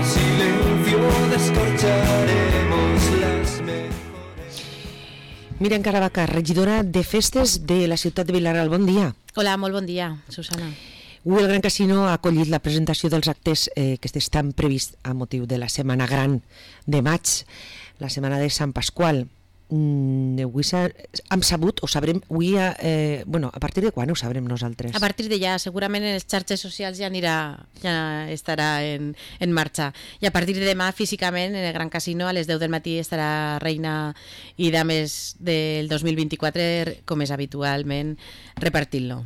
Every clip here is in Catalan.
el silencio descorcharemos las mejores. Míriam Caravaca, regidora de Festes de la ciutat de Vila-real. Bon dia. Hola, molt bon dia, Susana. Avui el Gran Casino ha acollit la presentació dels actes que estan prevists a motiu de la Setmana Gran de maig, la Setmana de Sant Pasqual. Avui hem sabut, ho sabrem, avui, a partir de quan ho sabrem nosaltres? A partir de ja, segurament en les xarxes socials ja estarà en marxa. I a partir de demà, físicament, en el Gran Casino, a les 10 del matí estarà Reina i Dames del 2024, com és habitualment, repartint-lo.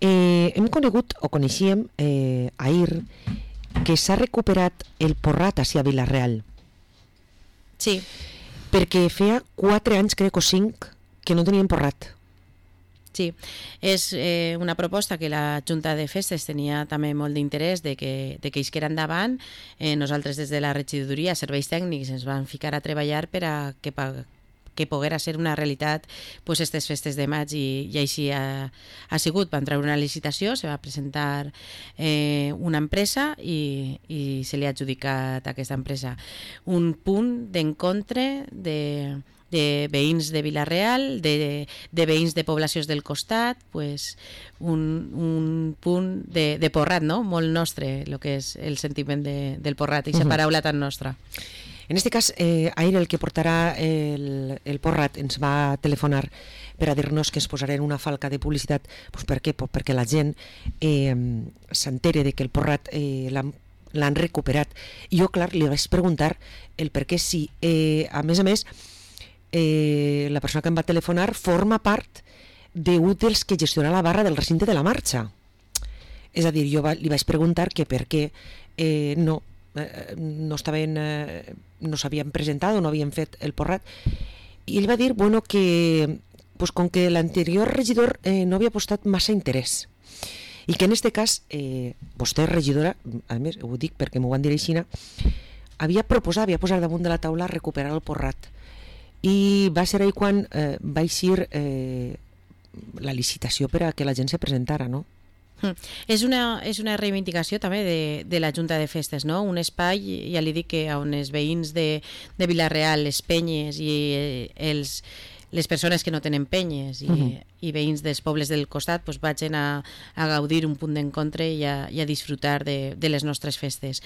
Hem conegut, o coneixíem ahir, que s'ha recuperat el porrat a Vila-real. Sí. Perquè feia 4 anys, crec, o 5, que no tenien porrat. Sí, és una proposta que la Junta de Festes tenia també molt d'interès de que isquera endavant. Nosaltres des de la regidoria, serveis tècnics, ens vam ficar a treballar per a que poguera ser una realitat aquestes festes de maig i així ha sigut. Van treure una licitació, se va presentar una empresa i se li ha adjudicat a aquesta empresa un punt d'encontre de veïns de Vila-real, de veïns de poblacions del costat, un punt de porrat, no? Molt nostre, el que és el sentiment del porrat, aquesta paraula tan nostra. En aquest cas, ahir el que portarà el porrat ens va telefonar per a dir-nos que es posarà en una falca de publicitat. Per què? Perquè la gent s'entere que el porrat l'han recuperat. I jo, clar, li vaig preguntar el per què sí. A més, la persona que em va telefonar forma part d'un dels que gestiona la barra del recinte de la marxa. És a dir, jo li vaig preguntar que per què no s'havien presentat o no havien fet el porrat, i ell va dir que com que l'anterior regidor no havia postat massa interès i que en aquest cas vostè, regidora, a més ho dic perquè m'ho van dir així, havia posat damunt de la taula recuperar el porrat, i va ser ahir quan va eixir la licitació per a que la gent se presentara, no? És una reivindicació també de la Junta de Festes, no? Un espai, ja li dic, que on els veïns de Vila-real, les penyes i les persones que no tenen penyes i veïns dels pobles del costat vagin a gaudir un punt d'encontre i a disfrutar de les nostres festes.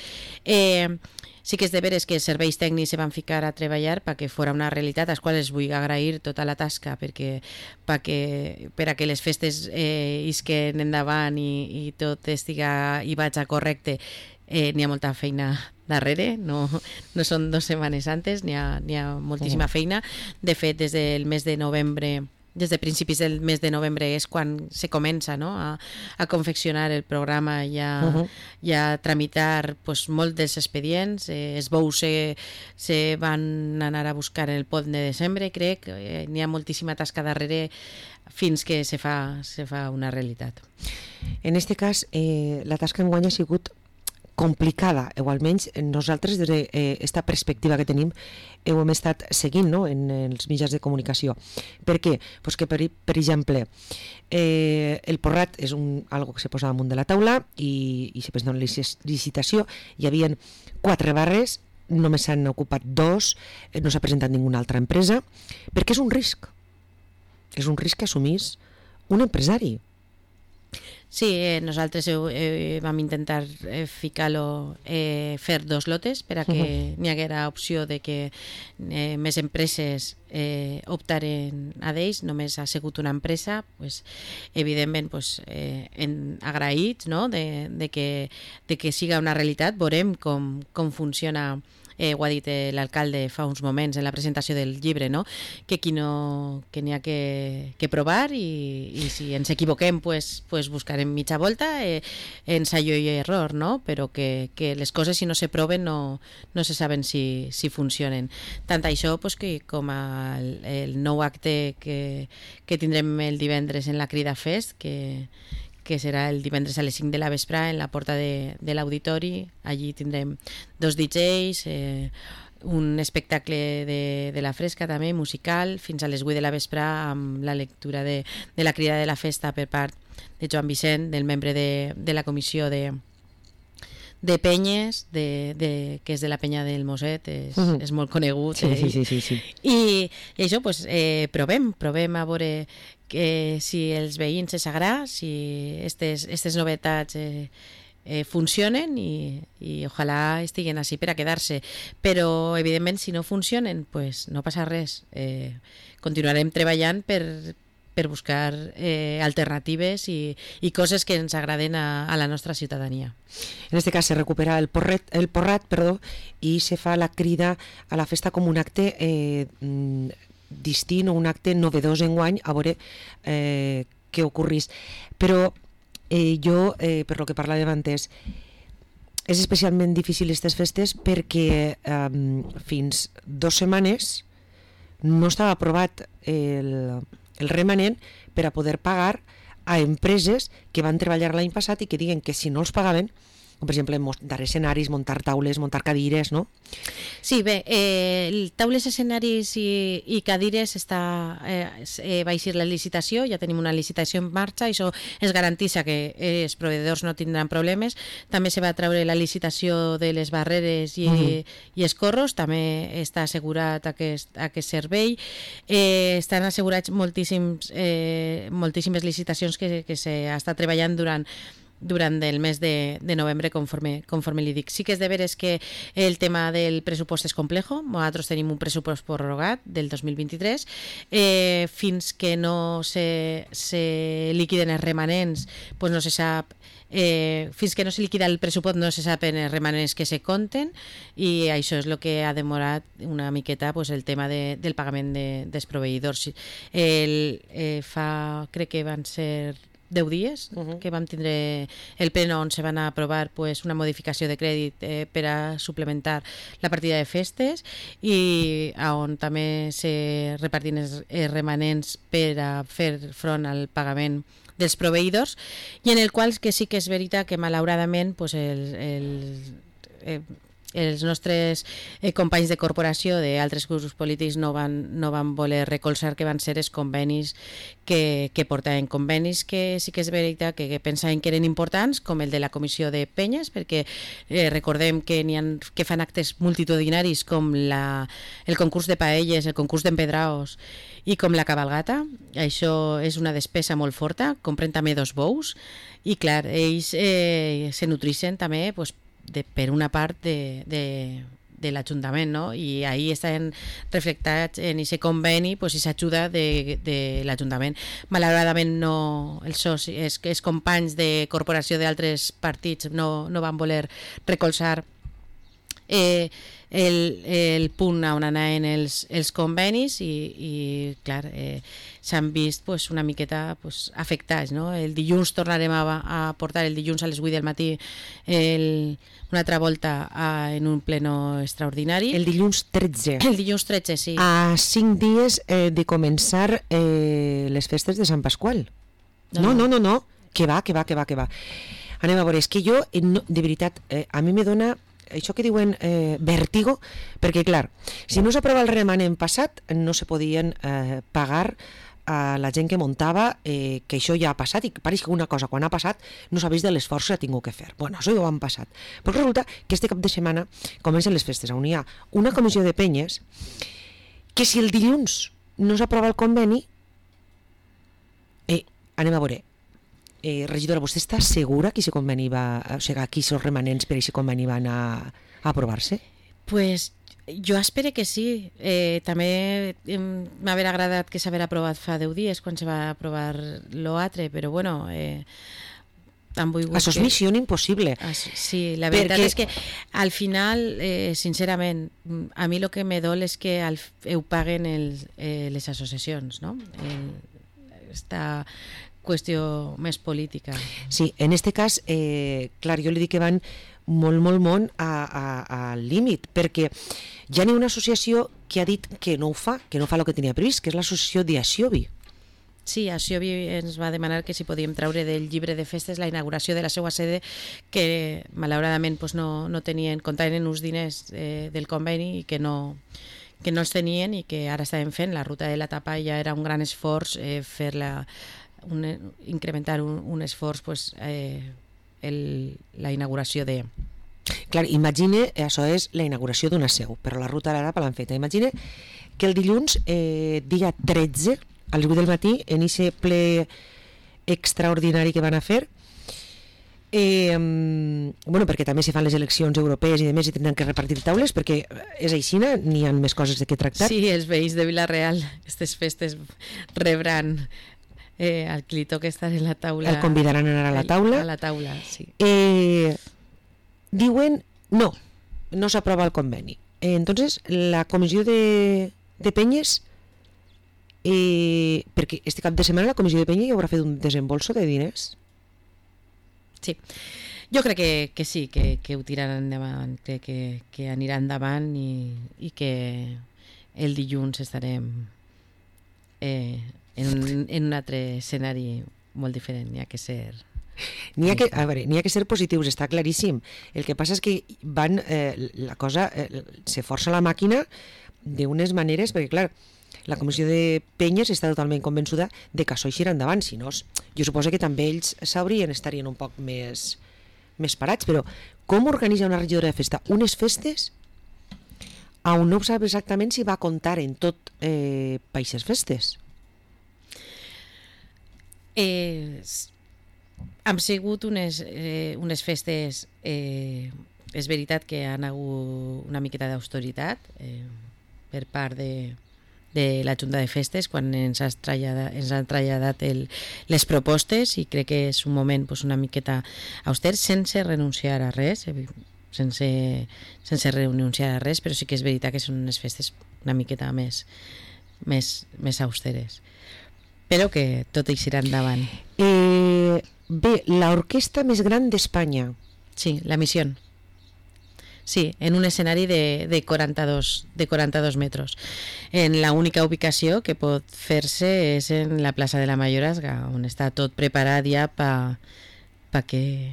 Sí que és de veres que els serveis tècnics se van ficar a treballar perquè fora una realitat, als quals vull agrair tota la tasca per a que les festes isquen endavant i tot estiga i vaig correcte. N'hi ha molta feina darrere, no són 2 setmanes antes, n'hi ha moltíssima feina. De fet, des de principis del mes de novembre és quan se comença, no? a confeccionar el programa i a tramitar molt dels expedients. Els bous se van anar a buscar en el pont de desembre, crec. N'hi ha moltíssima tasca darrere fins que se fa una realitat. En aquest cas, la tasca enguany ha sigut complicada, o almenys nosaltres des d'aquesta perspectiva que tenim ho hem estat seguint, no? En els mitjans de comunicació. Per què? Que per exemple el porrat és algo que se posa damunt de la taula i se presenta una licitació. Hi havia 4 barres, només s'han ocupat 2, no s'ha presentat ninguna altra empresa, perquè és un risc que assumís un empresari. Sí, nosaltres vam intentar ficar-lo, fer 2 lotes per a que n'hi haguera opció de que més empreses optaren a d'ells. Només ha sigut una empresa, evidentment agraïts, no? de que siga una realitat. Veurem com funciona. Ho ha dit l'alcalde fa uns moments en la presentació del llibre, no? Que n'hi ha que provar i si ens equivoquem buscarem mitja volta, ensayo i error, no? Però que les coses si no se proven no se saben si funcionen. Tant això que com el nou acte que tindrem el divendres en la Crida Fest, que serà el divendres a les 5 de la vesprà en la porta de l'auditori. Allí tindrem 2 DJs, un espectacle de la fresca també, musical, fins a les 8 de la vesprà amb la lectura de la Crida de la Festa per part de Joan Vicent, del membre de la comissió de de penyes, que és de la penya del Moset, és molt conegut. Sí. I això, pues, provem a veure si els veïns els agrada, si aquestes novetats funcionen i ojalà estiguen així per a quedar-se, però evidentment si no funcionen pues no passa res, continuarem treballant per buscar alternatives i coses que ens agraden a la nostra ciutadania. En este cas se recupera el porrat, i se fa la crida a la festa com un acte distint o un acte novedós enguany, a veure què ocorrís. Però jo, per lo que parlàvem antes, és especialment difícil aquestes festes perquè fins 2 setmanes no estava aprovat el remanent per a poder pagar a empreses que van treballar l'any passat i que diguen que si no els pagaven, com per exemple muntar escenaris, muntar taules, muntar cadires, no? Sí, bé, taules, escenaris i cadires va eixir la licitació, ja tenim una licitació en marxa, això es garantissa que els proveïdors no tindran problemes. També se va treure la licitació de les barreres i els corros, també està assegurat aquest servei. Estan assegurats moltíssimes licitacions que s'està treballant durant el mes de novembre, conforme li dic. Sí que és de veres que el tema del pressupost és complejo. Nosaltres tenim un pressupost prorrogat del 2023. Fins que no se liquiden els remanents, pues no se sap. Fins que no se liquida el pressupost no se saben els remanents que se compten, i això és el que ha demorat una miqueta pues, el tema del pagament dels proveïdors. Crec que van ser 10 dies que vam tindre el pleno on se van aprovar pues, una modificació de crèdit per a suplementar la partida de festes, i on també se repartien els remanents per a fer front al pagament dels proveïdors, i en el qual que sí que és veritat que malauradament pues, els nostres companys de corporació d'altres grups polítics no van voler recolzar, que van ser els convenis que portaven, convenis que sí que és veritat que pensaven que eren importants, com el de la comissió de penyes, perquè recordem que que fan actes multitudinaris com el concurs de paelles, el concurs d'empedraos i com la cabalgata. Això és una despesa molt forta, compren també 2 bous, i clar, ells se nutrixen també pues, per una part de l'Ajuntament, no? I ahí estan reflectats en aquest conveni pues, aquesta ajuda de l'Ajuntament. Malauradament no, els companys de corporació d'altres partits no van voler recolzar el punt on anaven els convenis, i clar, s'han vist pues, una miqueta pues, afectats, no? El dilluns tornarem a portar, el dilluns a les 8 del matí, una altra volta en un pleno extraordinari. El dilluns 13. El dilluns 13, sí. A 5 dies de començar les festes de Sant Pasqual. No. Que va. Anem a veure, és que jo, de veritat, a mi me dona això que diuen vèrtigo, perquè clar, si no s'aprova el remanent passat no se podien pagar a la gent que muntava, que això ja ha passat, i pareix que una cosa quan ha passat no sabeix de l'esforç que ha tingut que fer. Bueno, això ja ho han passat. Però resulta que este cap de setmana comencen les festes, on hi ha una comissió de penyes que si el dilluns no s'aprova el conveni, anem a veure, regidora, vostè està segura que aquest conveni o sigui, aquí els remanents per aquest conveni van a aprovar-se? Pues jo espero que sí. També m'haver agradat que s'haver aprovat fa 10 dies quan se va aprovar l'altre, però bueno, han volgut això és missió impossible. Sí, la veritat és que al final, sincerament, a mi el que me dol és que ho paguen les associacions, no? Esta qüestió més política. Sí, en este cas, clar, jo li dic que van molt al límit, perquè ja n'hi ha una associació que ha dit que no ho fa, que no fa el que tenia previst, que és l'associació d'Axiobi. Sí, Axiobi ens va demanar que si podíem treure del llibre de festes la inauguració de la seva sede, que malauradament pues, no tenien, comptaven uns diners del conveni i que no els tenien, i que ara estaven fent la ruta de la tapa, i ja era un gran esforç incrementar un esforç pues, la inauguració Clar, imagine, això és la inauguració d'una seu, però la ruta d'Arapa l'han feta. Imagine que el dilluns, dia 13, a les 8 del matí, en aquest ple extraordinari que van a fer, bueno, perquè també se fan les eleccions europees i demés i tindran que repartir taules, perquè és aixina, n'hi ha més coses de què tractar. Sí, els veïns de Vila-real, aquestes festes rebran al qui li toca estar en la taula. El convidaran a anar a la taula. A la taula, sí. Diuen, no s'aprova el conveni. Entonces, la comissió de Penyes, perquè este cap de setmana la comissió de Penyes ja haurà fet un desembolso de diners. Sí, jo crec que sí, que ho tiraran endavant, crec que anirà endavant i que el dilluns estarem en un altre escenari molt diferent. N'hi ha que ser... N'hi ha que ser positius, està claríssim. El que passa és que van, la cosa, se força la màquina d'unes maneres, perquè clar, la comissió de Penyes està totalment convençuda de que això eixirà endavant, si no, jo suposo que també ells estarien un poc més parats, però com organitza una regidora de festa unes festes on no sap exactament si va comptar en tot per aquestes festes? Han sigut unes festes, és veritat que han hagut una miqueta d'austeritat per part de la Junta de Festes quan ens han traslladat les propostes, i crec que és un moment una miqueta auster, sense renunciar a res, sense renunciar a res, però sí que és veritat que són unes festes una miqueta més austeres, però que tot eixirà endavant. Bé, l'orquestra més gran d'Espanya. Sí, la Missió. Sí, en un escenari de 42 metros. En la única ubicació que pot fer-se és en la plaça de la Mayorazga, on està tot preparat ja perquè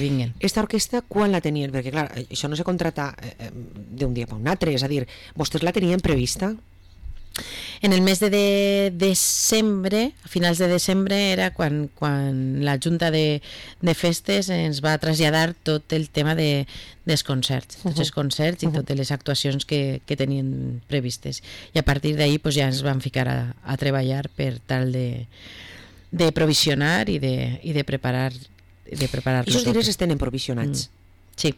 vinguin. Esta orquestra quan la tenien? Perquè clar, això no se contrata d'un dia per un altre, és a dir, vostès la tenien prevista? En el mes de desembre, a finals de desembre, era quan la Junta de Festes ens va traslladar tot el tema dels concerts, tots els concerts i totes les actuacions que tenien previstes. I a partir d'ahir ja ens vam ficar a treballar per tal de provisionar i de preparar. I aquests diners es tenen provisionats? Sí.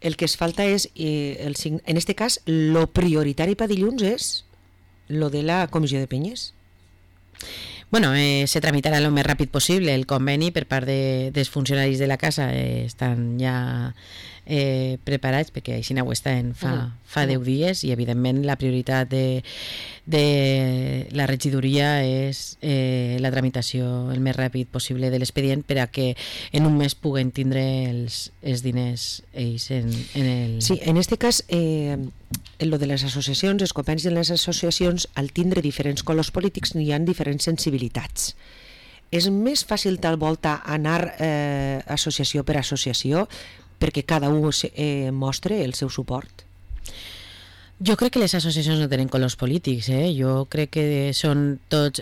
El que es falta és, en este cas, lo prioritari per dilluns és lo de la comissió de Penyes. Bueno, se tramitarà lo més ràpid possible. El conveni per part dels funcionaris de la casa estan ja preparats, perquè així ho estan fa 10 dies, i evidentment la prioritat de la regidoria és la tramitació el més ràpid possible de l'expedient per a que en un mes puguen tindre els diners ells en el... Sí, en este cas lo de les associacions, els convenis de les associacions, al tindre diferents colors polítics hi ha diferents sensibilitats. És més fàcil tal volta anar associació per associació perquè cada un mostre el seu suport? Jo crec que les associacions no tenen colors polítics, jo crec que són tots,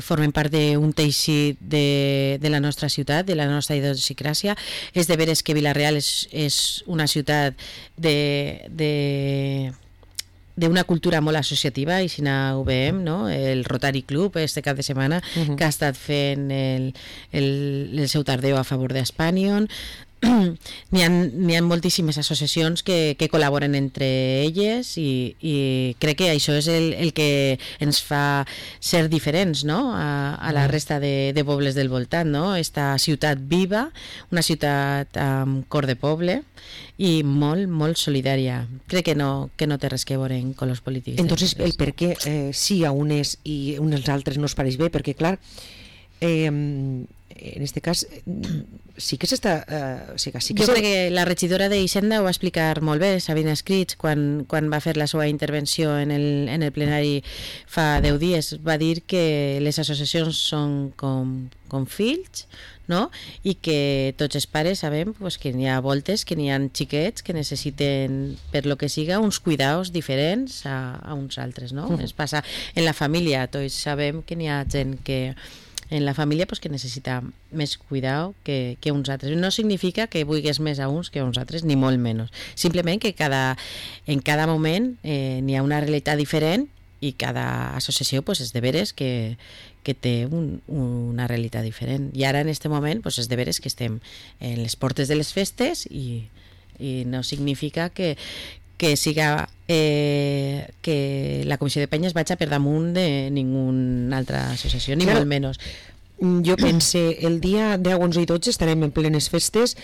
formen part d'un teixit de la nostra ciutat, de la nostra idiosincràsia. És de veres que Vila-real és una ciutat d'una cultura molt associativa, i si ho veiem, no? El Rotary Club este cap de setmana que ha estat fent el seu tardeu a favor d'Espanyol. N'hi ha moltíssimes associacions que col·laboren entre elles, i crec que això és el que ens fa ser diferents, no? a la resta de pobles del voltant, no? Esta ciutat viva, una ciutat amb cor de poble i molt, molt solidària. Crec que no té res que veure en colors polítics. Entonces, el per què sí a unes i uns altres no es pareix bé? Perquè clar, en este cas sí que s'està... Jo crec que la regidora d'Hisenda ho va explicar molt bé, Sabina Escrits, quan va fer la seva intervenció en el plenari fa 10 dies. Va dir que les associacions són com fills, no? I que tots els pares sabem que n'hi ha voltes, que n'hi ha xiquets que necessiten, per lo que siga, uns cuidados diferents a uns altres, no? Es passa en la família, tots sabem que n'hi ha gent que en la família pues, que necessita més cuidado que uns altres. No significa que vulguis més a uns que a uns altres, ni molt menys. Simplement que en cada moment n'hi ha una realitat diferent i cada associació pues, és de veres que té una realitat diferent. I ara en aquest moment pues, és de veres que estem en les portes de les festes i no significa que siga que la Comissió de Penyes vagi per damunt de ninguna altra associació, ni molt menys. Jo pense, el dia 10, 11 i 12 estarem en plenes festes,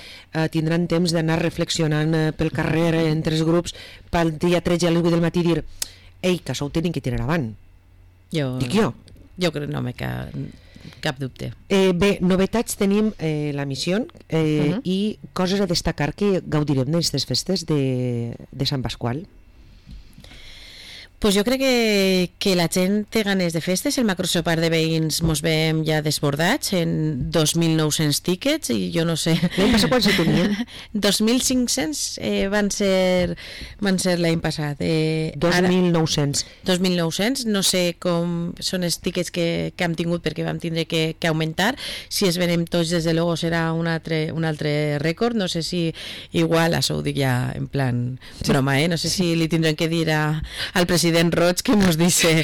tindran temps d'anar reflexionant pel carrer entre els grups, pel dia 13 a les 8 del matí dir ei, que això ho tenim que tirar avant. Dic jo. Jo crec que no me cap dubte. Bé, novetats tenim la missió i coses a destacar que gaudirem d'aquestes festes de Sant Pasqual. Pues jo crec que la gent té ganes de festes. El macrosopar de veïns mos veiem ja desbordats en 2.900 tíquets i jo no sé... L'any passat quan se tenien? 2.500 van ser l'any passat. 2.900. 2.900, no sé com són els tíquets que hem tingut perquè vam tindre que augmentar. Si es venem tots, des de luego serà un altre rècord. No sé si igual, això ho dic ja en plan broma, no sé si li tindrem que dir al president Roig que nos dice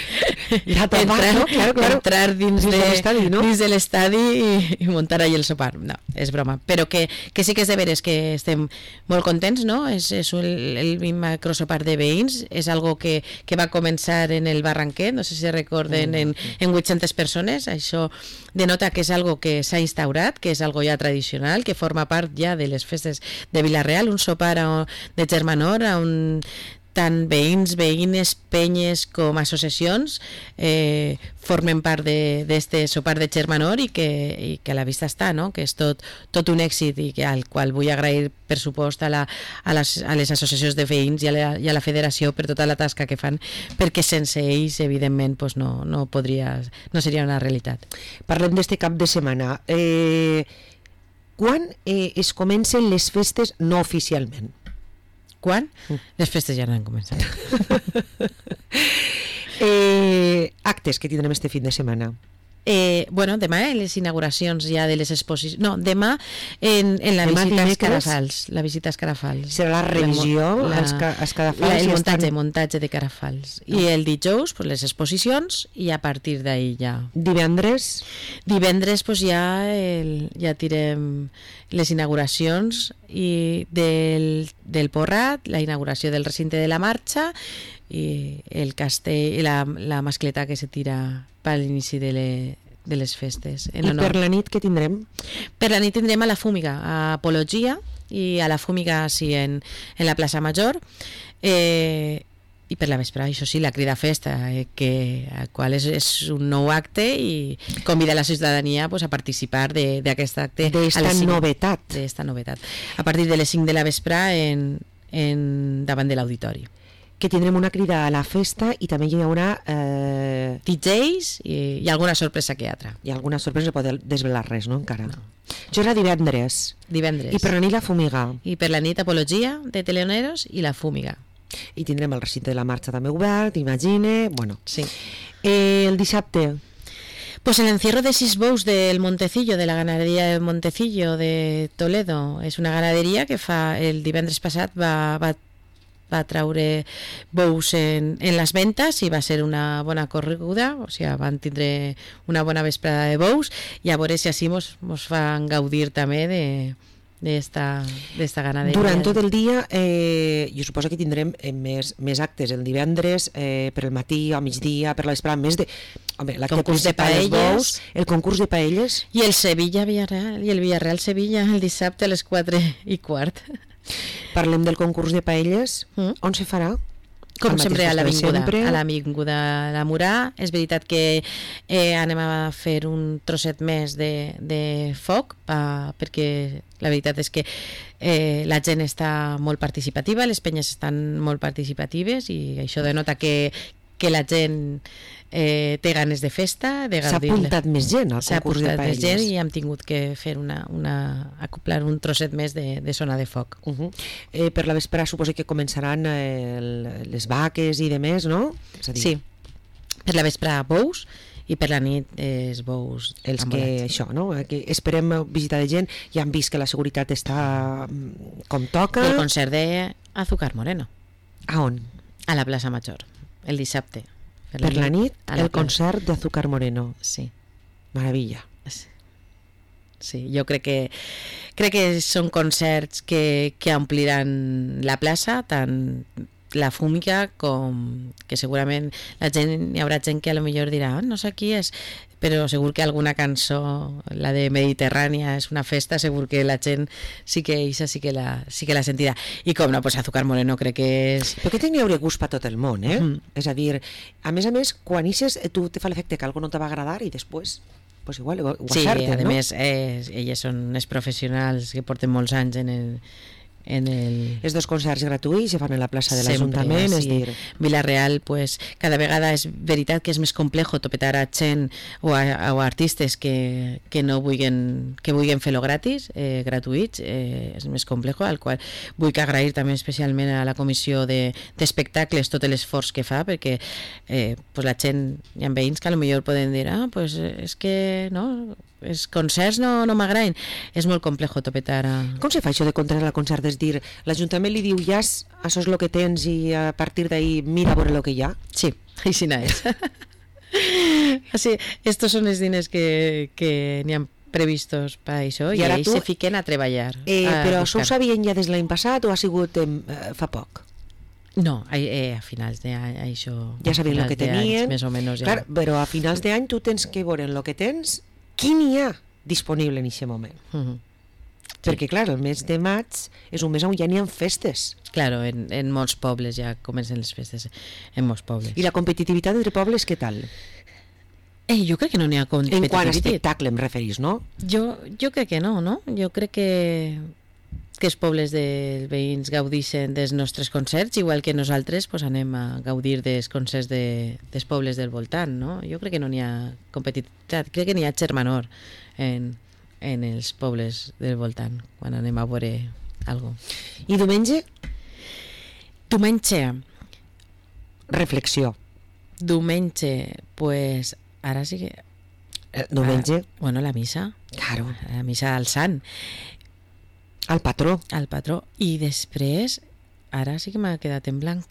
entrar dins de l'estadi i muntar ahí el sopar. No, és broma. Però que sí que és de veres que estem molt contents, no? És el macrosopar de veïns, és algo que va començar en el Barranquet, no sé si recorden, en 800 persones. Això denota que és algo que s'ha instaurat, que és algo ja tradicional, que forma part ja de les festes de Vila-real, un sopar de Germanor on tant veïns, veïnes, penyes com associacions formen part d'aquest sopar de Germanor i que a la vista està, no? Que és tot un èxit i al qual vull agrair per supost a les associacions de veïns i a la federació per tota la tasca que fan, perquè sense ells evidentment pues no seria una realitat. Parlem d'este cap de setmana. Quan es comencen les festes no oficialment? Quan? Les festes ja no han començat. Actes que tindrem este fin de setmana. Bueno, demà les inauguracions ja de les exposicions. No, demà en la visita als Carafals. La visita als Carafals. Serà la revisió als Carafals. El muntatge de Carafals. I el dijous pues, les exposicions i a partir d'ahir ja. Divendres pues, ja tirem les inauguracions i del Porrat, la inauguració del recinte de la marxa i el castell i la mascleta que se tira per l'inici de les festes. I per la nit què tindrem? Per la nit tindrem a la Fúmiga, a Apologia i a la Fúmiga sí, en la plaça Major, i per la vesprada, això sí, la crida festa, el qual és un nou acte i convida la ciutadania pues, a participar d'aquest acte. D'esta novetat. A partir de les 5 de la vesprada davant de l'auditori. Que tindrem una crida a la festa i també hi haurà DJs i alguna sorpresa que altra. I alguna sorpresa, no pot desvelar res, no? Encara. No. Això era divendres. I per la nit la Fúmiga. I per la nit Apologia de Teleoneros i la Fúmiga. I tindrem el recinte de la marxa també obert, imagine, bueno. Sí. El dissabte. Pues el encierro de 6 bous del Montecillo, de la ganadería del Montecillo de Toledo. És una ganaderia que el divendres passat va traure bous en les ventes i va ser una bona correguda, o sigui, van tindre una bona vesprada de bous i a veure si així mos fan gaudir també d'esta ganaderia. Durant tot el dia jo suposo que tindrem més actes el divendres, per el matí, al migdia, per la vesprada, més de... Home, l'acte principal dels bous, el concurs de paelles... I el Sevilla-Villarreal, i el Villarreal-Sevilla el dissabte a les 4:15. Parlem del concurs de paelles. On se farà? Com sempre a l'Avinguda de Murà. És veritat que anem a fer un trosset més de foc perquè la veritat és que la gent està molt participativa, les penyes estan molt participatives i això denota que la gent té ganes de festa, de gaudir. S'ha apuntat més gent al concurs de paelles. Més gent i hem tingut que fer acoplar un trosset més de zona de foc. Per la vesprada suposo que començaran les vaques i demés, no? Sí, per la vesprada bous i per la nit els bous Els que, ambulants. això, no? Que esperem visitar de gent, ja han vist que la seguretat està com toca. I el concert de Azúcar Moreno, A on? a la plaça Major, el dissabte. Per la nit, a la el plaça. concert de Azúcar Moreno. Sí. Maravilla. Sí, jo crec que són concerts que ompliran la plaça, tant la fúmica com que segurament hi haurà gent que a lo millor dirà no sé qui és, però segur que alguna cançó, la de Mediterrània és una festa, segur que la gent sí que la sentirà. I com no, pues Azúcar Moreno crec que és... Però que tenia gust per tot el món, eh? És a dir, a més, quan ixes, tu te fa l'efecte que algo no te va agradar i després, pues igual, ho Sí, acerten, a no? més, elles són els professionals que porten molts anys en el... Els dos concerts gratuïts se fan en la plaça de Sempre, l'Ajuntament, és sí. dir... Vila-real, pues, cada vegada és veritat que és més complejo topetar a gent o a artistes que vulguin fer-lo gratis, gratuïts, és més complejo, al qual vull que agrair també especialment a la comissió d'espectacles tot l'esforç que fa, perquè pues la gent, hi ha veïns que a lo millor poden dir pues és que no, els concerts no m'agraden. És molt complejo topetar a... Com se fa això de contrar al concert? És dir, l'Ajuntament li diu ja, això és el que tens i a partir d'ahí mira a veure el que hi ha? Sí, així és. Así, estos són els diners que n'hi ha previstos per això i I ara ells tu- se fiquen a treballar. Però això ho sabien ja des de l'any passat o ha sigut fa poc? No, a finals d'any, això... Ja sabien el que tenien. Més o menys ja. Clar, però a finals d'any tu tens que veure en el que tens qui n'hi ha disponible en aquest moment. Perquè, clar, el mes de maig és un mes on ja n'hi ha festes. Claro, en molts pobles ja comencen les festes, en molts pobles. I la competitivitat entre pobles, què tal? Jo crec que no n'hi ha En quant a competitivitat. espectacle em referís, no? Jo crec que no? Jo crec que els pobles dels veïns gaudixen dels nostres concerts, igual que nosaltres pues, anem a gaudir dels concerts dels pobles del voltant, no? Jo crec que no n'hi ha competitivitat, crec que n'hi ha germanor en els pobles del voltant, quan anem a veure alguna cosa. I diumenge, reflexió. Diumenge, pues, ara sí que... Diumenge, Bueno, la missa. claro, La missa al sant, al patró. al patró. I després, ara sí que m'ha quedat en blanc.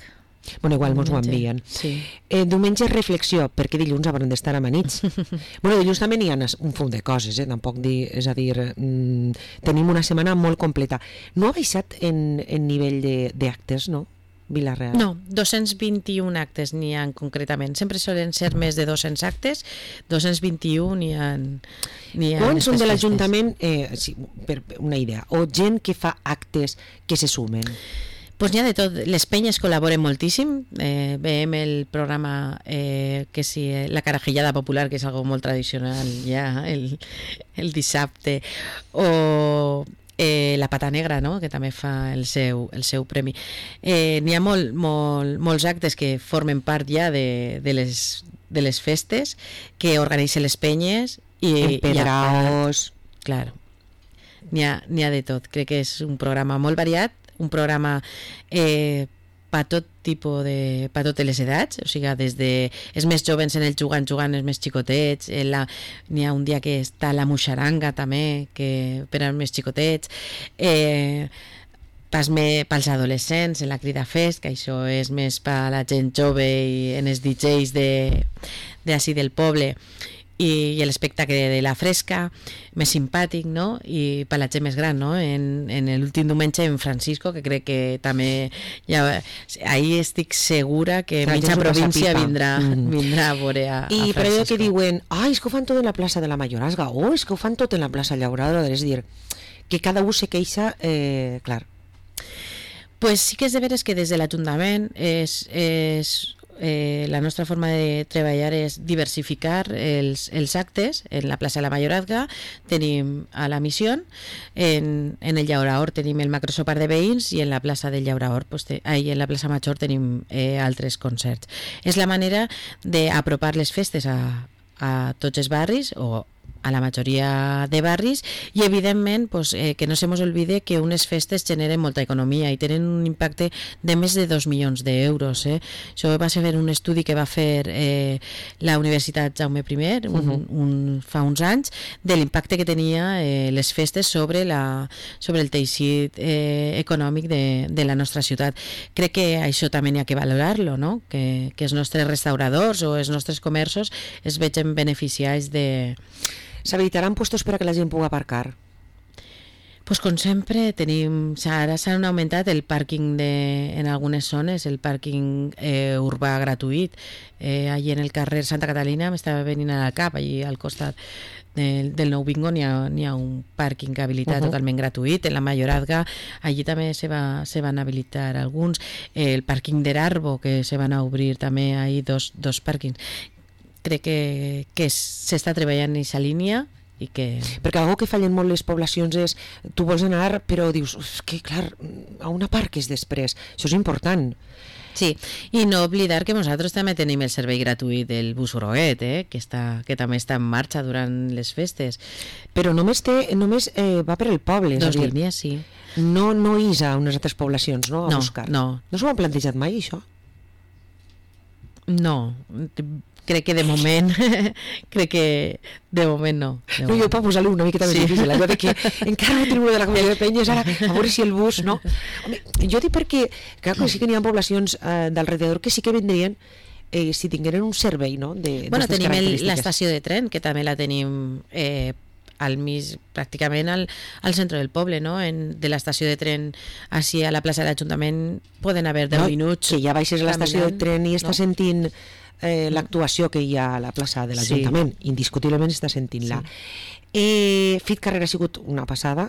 Bueno, igual mos ho Diumenge, envien. sí. Diumenge reflexió, perquè dilluns hauran d'estar amanits. Bueno, dilluns també n'hi ha un fum de coses, tampoc és a dir, tenim una setmana molt completa. No ha baixat en nivell d'actes, no? Vila-real. No, 221 actes n'hi ha concretament. Sempre solen ser més de 200 actes, 221 n'hi ha Quants són de aquestes l'Ajuntament, sí, per una idea, o gent que fa actes que se sumen? Pues n'hi ha de tot. Les penyes col·laboren moltíssim. Veiem el programa que sí, la carajillada popular, que és algo molt tradicional ja el dissabte, o la Pata Negra, no? Que també fa el seu premi. N'hi ha molts actes que formen part ja de les festes que organitzen les penyes i Empedraos... claro, n'hi ha de tot. Crec que és un programa molt variat, un programa per tot tipus per totes les edats, o sigui, des de els més jovens en el jugant, els més xicotets, n'hi ha un dia que està la muixaranga també, que per als més xicotets, pels adolescents en la Crida Fest, que això és més per la gent jove i en els DJs d'ací del poble, i l'espectacle de la fresca, més simpàtic, no? I per la gent més gran, no? En l'últim diumenge en Francisco, que crec que també ahir estic segura que La gent mitja s'ho passa província pipa. vindrà a veure a I per allò Francisco. que diuen, és que ho fan tot en la plaça de la Mayorazga, o és que ho fan tot en la plaça Llauradora, és dir, que cada un se queixa, clar. Pues sí que és de veres que des de l'Ajuntament la nostra forma de treballar és diversificar els actes. En la plaça de la Mayorazga tenim a la Missió, en el Llauraor tenim el macrosopar de veïns i en la plaça del Llauraor, en la plaça Major tenim altres concerts. És la manera d'apropar les festes a tots els barris o a la majoria de barris i evidentment pues, que no se mos olvide que unes festes generen molta economia i tenen un impacte de més de 2 milions d'euros. Això va ser un estudi que va fer la Universitat Jaume I fa uns anys de l'impacte que tenia les festes sobre el teixit econòmic de la nostra ciutat. Crec que això també n'hi ha que valorar-lo, no? Que els nostres restauradors o els nostres comerços es vegin beneficiats de... S'habilitaran puestos per a que la gent pugui aparcar? Pues com sempre tenim, ara s'han augmentat el pàrquing en algunes zones, el pàrquing urbà gratuït. Allí en el carrer Santa Catalina m'estava venint al cap, allí al costat del Nou Bingo n'hi ha un pàrquing habilitat totalment gratuït. En la Mayorazga allí també se van habilitar alguns. El pàrquing d'Erarbo, que se van a obrir també ahí dos pàrquings. Crec que s'està treballant en aquesta línia i que... Perquè algo que fallen molt les poblacions és tu vols anar però dius que clar, a una parques després, això és important. Sí, i no oblidar que nosaltres també tenim el servei gratuït del bus Uroet, que també està en marxa durant les festes. Però només va per el poble. Dos línies, sí. No és a unes altres poblacions, no? A buscar. No. No s'ho han plantejat mai, això? No, crec que de moment no. No, jo per posar-li una miqueta més difícil, allò de que encara no tenim una de la Comunitat de Penyes, ara a veure si el bus, no? Home, jo dic perquè clar, sí que n'hi ha poblacions d'alrededor que sí que vendrien si tingueren un servei, no? Bueno, tenim l'estació de tren, que també la tenim pràcticament al centre del poble, no? De l'estació de tren així a la plaça de l'Ajuntament poden haver 10 minuts. Que ja baixes a l'estació de tren i estàs sentint l'actuació que hi ha a la plaça de l'Ajuntament, indiscutiblement està sentint-la. Fit Carrera ha sigut una passada,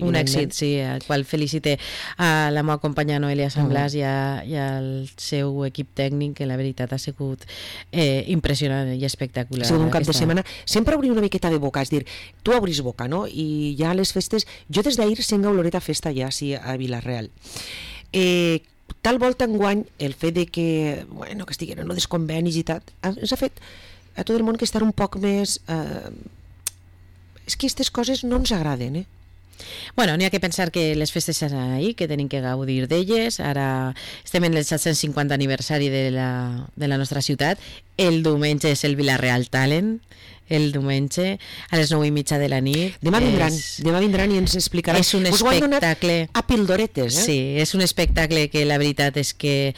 un èxit, sí, al qual felicite a la meva companya Noelia Sant Blas i al seu equip tècnic, que la veritat ha sigut impressionant i espectacular. Ha sigut un cap de setmana, sempre obrir una miqueta de boca, és dir, tu obris boca, no? I ja les festes, jo des d'ahir sent oloreta festa ja, sí, a Vila-real. Tal volta enguany el fet de que estiguin en els convenis i tal, ens ha fet a tot el món que estar un poc més... És que aquestes coses no ens agraden, Bueno, n'hi ha que pensar que les festes seran ahí, que tenim que gaudir d'elles. Ara estem en el 750 aniversari de la nostra ciutat. El diumenge és el Vila-real Talent, el diumenge a les 9:30 de la nit. Demà vindran i ens explicaran. És un espectacle a pildoretes, Sí, és un espectacle que la veritat és que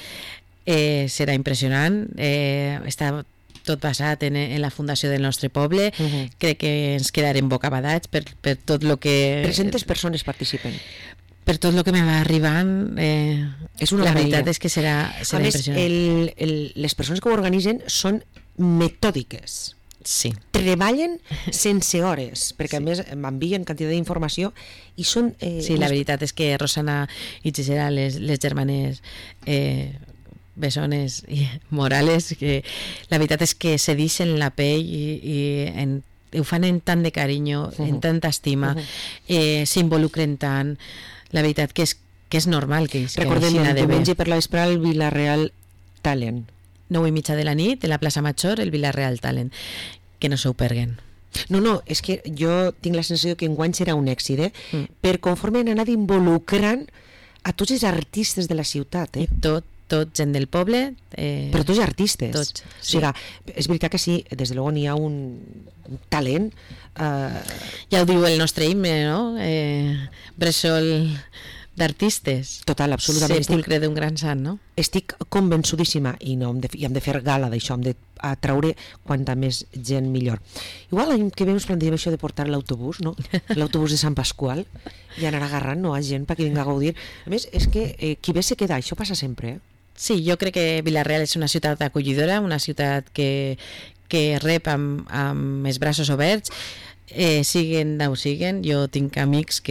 serà impressionant. Està tot basat en la fundació del nostre poble. Crec que ens quedarem bocabadats per tot el que... 300 persones participen. Per tot el que me va arribant, la veritat és que serà impressionant. A més, les persones que ho organitzen són metòdiques. Sí. Treballen sense hores, perquè a més m'envien quantitat d'informació i són... Sí, la veritat és que Rosana i Gisela, les germanes Bessones i Morales, que la veritat és que se deixen la pell i ho fan en tant de carinyo, en tanta estima, s'involucren tant. La veritat que és normal que recordem, el diumenge per la vespre el Vila-real Talent, 9:30 de la nit, en la plaça Major, el Vila-real Talent, que no s'ho perguen. No, és que jo tinc la sensació que enguany serà un èxit, per conforme han anat involucrant a tots els artistes de la ciutat, Tot gent del poble, però tots artistes, tots, sí. O sigui, és veritat que sí, des de luego n'hi ha un talent, ja ho diu el nostre himne, no? Bressol d'artistes, total, absolutament, sepulcre d'un gran sant, no? Estic convençudíssima i hem de fer gala d'això, hem de atraure quanta més gent millor. Igual l'any que ve ens plantegem això de portar l'autobús, no? L'autobús de Sant Pasqual, i anar agarrant, no, a gent perquè vinga a gaudir. A més, és que qui ve se queda, això passa sempre, Sí, jo crec que Vila-real és una ciutat acollidora, una ciutat que rep amb els braços oberts, siguen d'on siguen. Jo tinc amics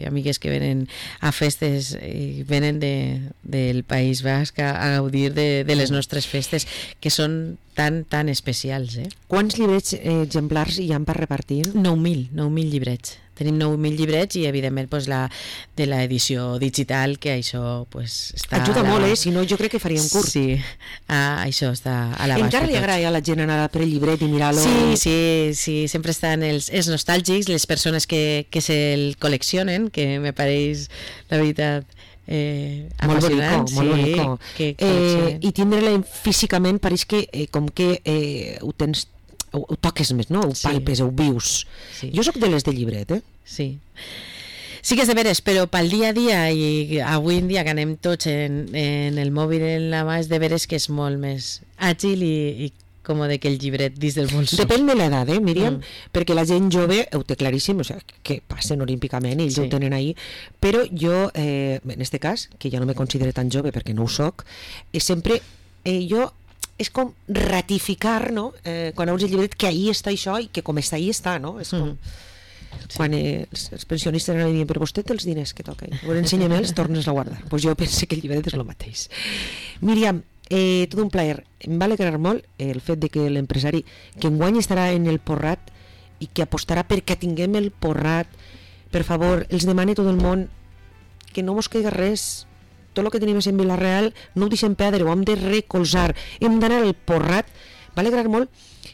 amigues que venen a festes i venen del País Basc a gaudir de les nostres festes, que són tan especials. Quants llibrets exemplars hi ha per repartir? 9.000 llibrets tenim 9.000 llibrets i evidentment pues, de l'edició digital, que això pues, està... Ajuda molt, si no jo crec que faria un curs. Sí, això està a l'abast. Encara li agrada a la gent anar per el llibret i mirar-lo? Sí, sempre estan els nostàlgics, les persones que se'l col·leccionen, que me pareix, la veritat, molt bonic, molt bonic. I tindre-la físicament pareix que com que ho tens, ho toques més, no? Ho palpes, ho vius. Sí. Jo sóc de les de llibret, Sí. Sí que és de veres, però pel dia a dia i avui en dia que anem tots en el mòbil en la mà, és de veres que és molt més àgil i còmode que el llibret dins del bolso. Depèn de l'edat, Míriam, perquè la gent jove ho té claríssim, o sigui, que passen olímpicament i ells ho tenen ahí, però jo, en este cas, que ja no me considero tan jove perquè no ho soc, sempre jo és com ratificar, no?, quan veus el llibret, que ahí està això i que com està ahí està, no? És com... Quan els pensionistes anaven dient, però vostè té els diners que toca, ensenya'm-els, tornes a guardar. Doncs jo penso que el llibret és el mateix. Míriam, tot un plaer. Em va alegrar molt el fet de que l'empresari que enguany estarà en el Porrat i que apostarà perquè tinguem el Porrat, per favor, els demane tot el món que no mos queda res, tot el que tenim en Vila-real no ho deixem perdre, ho hem de recolzar, hem d'anar al Porrat. Va alegrar molt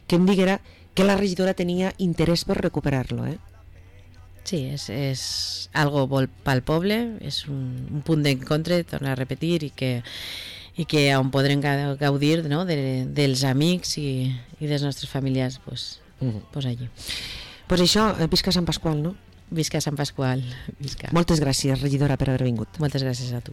que em diguera que la regidora tenia interès per recuperar-lo, Sí, és algo molt pel poble, és un punt d'encontre, tornar a repetir, i que on podrem gaudir, no?, dels amics i dels nostres familiars, pues allí. Pues això, visca Sant Pasqual, no? Visca Sant Pasqual, visca. Moltes gràcies, regidora, per haver vingut. Moltes gràcies a tu.